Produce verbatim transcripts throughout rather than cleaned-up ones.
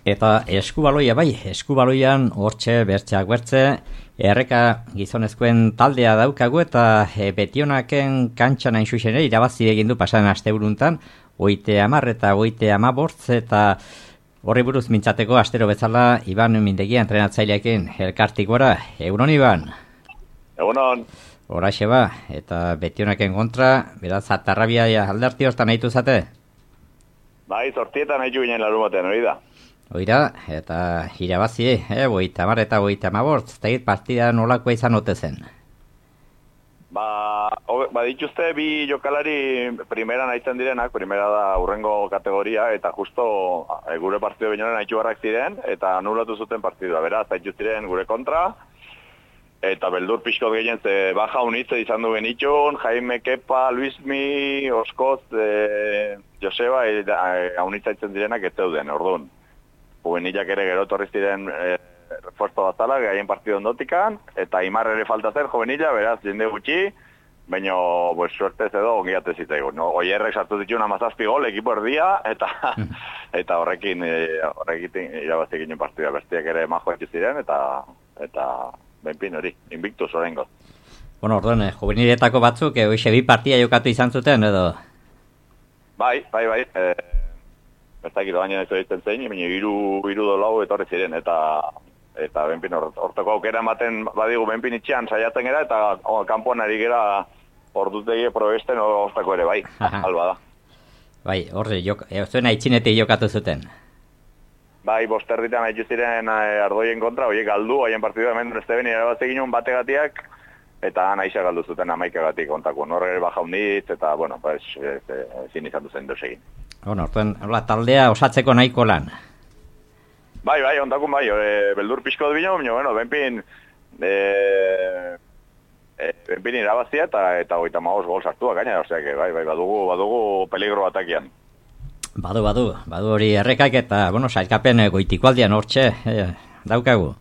Eta eskubaloia bai, eskubaloian hortxe bertzeak bertze, erreka gizonezkoen taldea daukagu eta e, Betionaken kantxan hain zuzen ere irabazi egin du pasan asteburuntan, oite hamar eta oite hamabortz eta horri buruz mintzateko astero bezala Iban Mindegia entrenatzaileekin elkartik gora. Egunon Iban? Egunon. Horaxe ba, eta Betionaken kontra, beraz atarrabia alderti hortan nahitu zate? Bai, zortietan nahitu ginen larun batean, hori da. Oira, eta irabazi, eh, oita hamar eta oita hamabortz, eta partida nolakoa izan ote zen? Ba, ba dituzte bi jokalari primera nahitzen direnak, primera da urrengo kategoria, eta justo e, gure partido binoren nahitu barrak ziren, eta anulatu zuten partidua, beraz, nahitu ziren gure kontra, eta beldur pixkot gehien ze baja unitze izan du genitxun, Jaime Kepa, Luismi, Oskoz, e, Joseba, e, e, unitza itzen direnak ez zeuden, orduan. Juvenilak ere gero torri ziren e, refuerzo batala, gaien partido ondotikan, eta Imar ere falta zer juvenila, beraz, jende gutxi, baina, pues, suertez edo ongiate zitzaigun. No? Oierrek sartu dituen amazazpi gol, ekipo erdia, eta eta horrekin, e, horrekin irabazi ginen partida bestiak ere majo etxe ziren, eta eta benpin hori, invictus horrengo. Bueno, orduan, eh, juveniletako batzuk, eh, oixe bi partia jokatu izan zuten, edo? Bai, bai, bai, e, Bertakit baina ez egiten zein, baina iru, iru dolau etorri ziren, eta eta benpin hortako aukera ematen badigu benpin itxean saiatzen gara, eta oh, kanpoan ari gara ordutegi probesten hortako ere, bai, alba da. Bai, horre, e, zuen aitzinetik jokatu zuten. Bai, bosterditan haitzu ziren eh, ardoien kontra, horiek galdu, haien partidua hemen Esteben irabazi ginen bategatiak, eta nahixa galdu zuten amaikagatik kontako. Norre ere baja unitz, eta, bueno, pues, ezin izan duzen dozegin. Bueno, orduan, taldea osatzeko nahiko lan. Bai, bai, ondakun bai, e, beldur pixko dut bino, bueno, benpin, e, e, benpin irabazia eta eta goita maoz gol sartua gaina, osea, que, bai, bai, badugu, badugu peligro atakian. Badu, badu, badu hori errekak eta, bueno, sailkapen goitiko aldian hortxe, e, daukagu.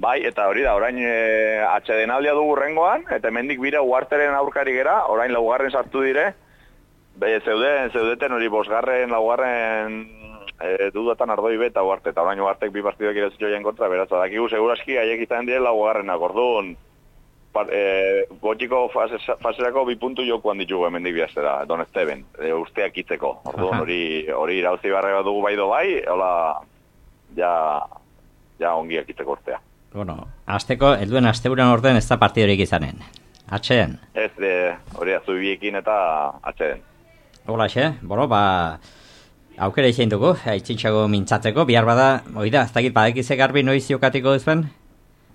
Bai, eta hori da, orain e, atxedenaldia dugu rengoan, eta hemendik bira uarteren aurkari gera, orain laugarren sartu dire, be, zeuden, zeudeten hori bosgarren, laugarren e, dudatan ardoi beta uarte, eta orain uartek bi partidoak irezitxoien kontra, beraz, adakigu seguraski haiek izan dire laugarrenak, orduan, e, gotxiko faserako bi puntu jokuan ditugu hemendik bihaztera, Don Esteban, e, usteak itzeko, orduan hori, hori irauzi barre bat dugu baido bai, hola, ja, ja ongiak itzeko urtea. Bueno, azteko, helduen asteburan orden ez da partidorik izanen. Atxeen? Ez, de, hori azubiekin eta atxeen. Hola, xe, bueno, ba, aukera izan dugu, aitzintxago mintzatzeko, bihar bada, oida, ez dakit, badekize garbi noiz jokatiko duzuen?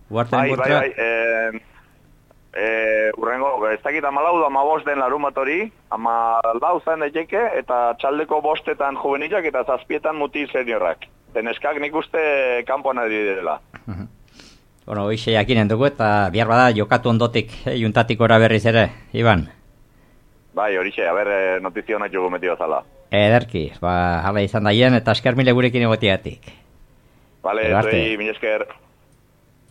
Bai, bai, bai, e, e, urrengo, ez dakit amalau da amabost den larun bat hori, amalau zen daiteke, eta txaldeko bostetan juvenilak eta zazpietan mutil seniorrak. Teneskak nik uste kanpoan ari direla. Bueno, hoxe jakinen dugu eta bihar bada jokatu ondotik, eh, juntatik ora berriz ere, Iban? Bai, horixe, haber notizio nahi jugu metio zala. Ederki, ba, hala izan daien eta esker mile gurekin egotiatik. Vale, zuei, mil esker.